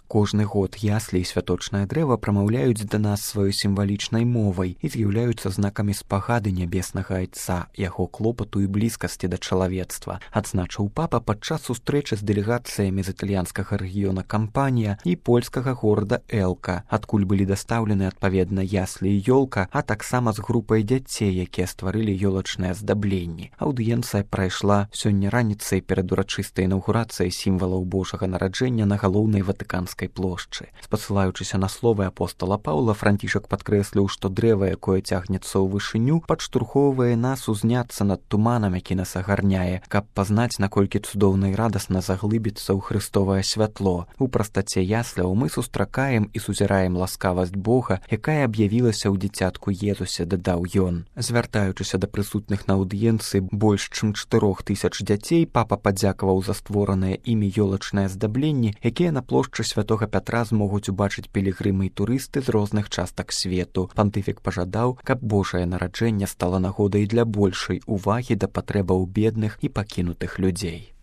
Кожны год яслі і святочнае дрэва прамаўляюць да нас сваёй сімвалічнай мовай і з'яўляюцца знакамі спагады нябеснага айца, яго клопату і блізкасці да чалавецтва, адзначыў папа падчас сустрэчы з дэлегацыямі з італьянскага рэгіёна Кампанія і польскага горада Элка, адкуль былі дастаўлены адпаведна яслі і ёлка, а таксама з групай дзяцей, якія стварылі ёлачныя аздабленні. Аўдыенцыя прайшла сёння раніцай перад урачыстай інаўгурацыяй сімвалаў Божага нараджэння на галоўнай ватыканскай плошчы. Спасылаючыся на словы апостала Паўла, Францішак падкрэсліў, што дрэва, якое цягнецца ў вышыню, падштурхоўвае нас узняцца над туманам, які нас агарняе, каб пазнаць, наколькі цудоўна і радасна заглыбіцца ў хрыстовае святло. У прастаце ясляў мы сустракаем і сузіраем ласкавасць Бога, якая аб'явілася ў дзіцятку Езусе, дадаў ён. Звяртаючыся да прысутных на аўдыенцыі больш чым 4000 дзяцей, папа падзякаваў за створаныя імі ёлачныя аздабленні, якія на плошчы Святога Пятра змогуць убачыць пілігрымы і турысты з розных частак свету. Пантыфік пажадаў, каб Божае нараджэнне стала нагодай для большай увагі да патрэбаў бедных і пакінутых людзей.